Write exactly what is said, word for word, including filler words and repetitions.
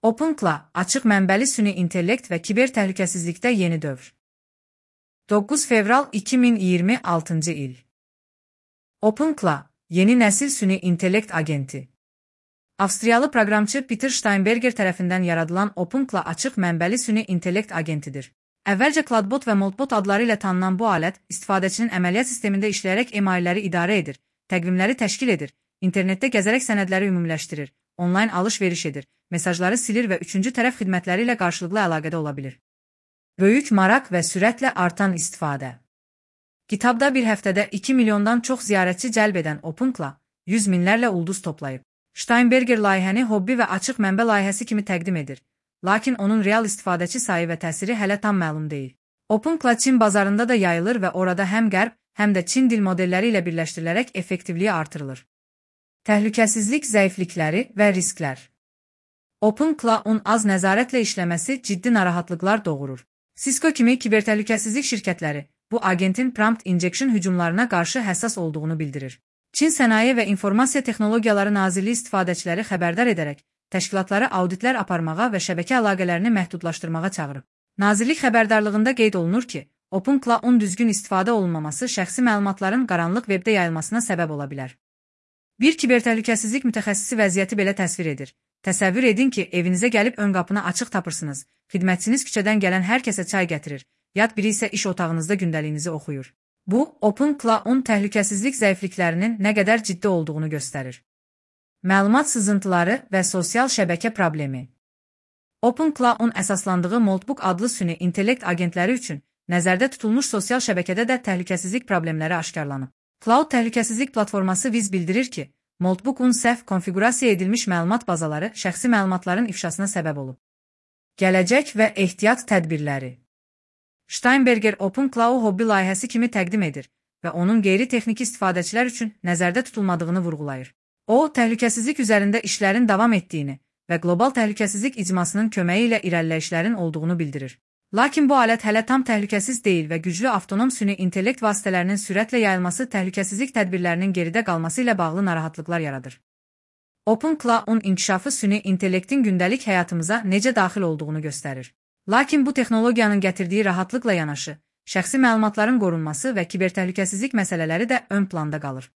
OpenClaw, açıq mənbəli süni intellekt və kiber təhlükəsizlikdə yeni dövr. doqquz fevral iki min iyirmi altıncı il. OpenClaw, yeni nəsil süni intellekt agenti. Avstriyalı proqramçı Peter Steinberger tərəfindən yaradılan OpenClaw açıq mənbəli süni intellekt agentidir. Əvvəlcə Cloudbot və Moltbot adları ilə tanınan bu alət, istifadəçinin əməliyyat sistemində işləyərək emailləri idarə edir, təqvimləri təşkil edir, internetdə gəzərək sənədləri ümumiləşdirir, onlayn alış-veriş edir, mesajları silir və üçüncü tərəf xidmətləri ilə qarşılıqlı əlaqədə ola bilir. Böyük maraq və sürətlə artan istifadə. Kitabda bir həftədə iki milyondan çox ziyarətçi cəlb edən OpenClaw, yüz minlərlə ulduz toplayıb. Steinberger layihəni hobbi və açıq mənbə layihəsi kimi təqdim edir, lakin onun real istifadəçi sayı və təsiri hələ tam məlum deyil. OpenClaw Çin bazarında da yayılır və orada həm qərb, həm də Çin dil modelləri ilə birləşdirilərək effektivliyi artırılır. Təhlükəsizlik zəiflikləri və risklər. OpenClaw-un az nəzarətlə işləməsi ciddi narahatlıqlar doğurur. Cisco kimi kibertəhlükəsizlik şirkətləri bu agentin prompt injection hücumlarına qarşı həssas olduğunu bildirir. Çin Sənaye və İnformasiya Texnologiyaları Nazirliyi istifadəçiləri xəbərdar edərək, təşkilatları auditlər aparmağa və şəbəkə əlaqələrini məhdudlaşdırmağa çağırıb. Nazirlik xəbərdarlığında qeyd olunur ki, OpenClaw-un düzgün istifadə olunmaması şəxsi məlumatların qaranlıq webdə yayılmasına səbəb ola bilər. Bir kibertəhlükəsizlik mütəxəssisi vəziyyəti belə təsvir edir. Təsəvvür edin ki, evinizə gəlib ön qapını açıq tapırsınız, xidmətçiniz küçədən gələn hər kəsə çay gətirir, yad biri isə iş otağınızda gündəliyinizi oxuyur. Bu, OpenClaw-un təhlükəsizlik zəifliklərinin nə qədər ciddi olduğunu göstərir. Məlumat sızıntıları və sosial şəbəkə problemi. OpenClaw-un əsaslandığı Moltbook adlı süni intellekt agentləri üçün nəzərdə tutulmuş sosial şəbəkədə də təhlükəsizlik problemləri aşkarlanıb. Cloud Təhlükəsizlik Platforması Wiz bildirir ki, Moltbook-un səhv konfiqurasiya edilmiş məlumat bazaları şəxsi məlumatların ifşasına səbəb olub. Gələcək və ehtiyat tədbirləri. Steinberger OpenClaw-u hobbi layihəsi kimi təqdim edir və onun qeyri-texniki istifadəçilər üçün nəzərdə tutulmadığını vurğulayır. O, təhlükəsizlik üzərində işlərin davam etdiyini və qlobal təhlükəsizlik icmasının köməyi ilə irəliləyişlərin olduğunu bildirir. Lakin bu alət hələ tam təhlükəsiz deyil və güclü avtonom süni intellekt vasitələrinin sürətlə yayılması təhlükəsizlik tədbirlərinin geridə qalması ilə bağlı narahatlıqlar yaradır. OpenClaw-un inkişafı süni intellektin gündəlik həyatımıza necə daxil olduğunu göstərir. Lakin bu texnologiyanın gətirdiyi rahatlıqla yanaşı, şəxsi məlumatların qorunması və kibertəhlükəsizlik məsələləri də ön planda qalır.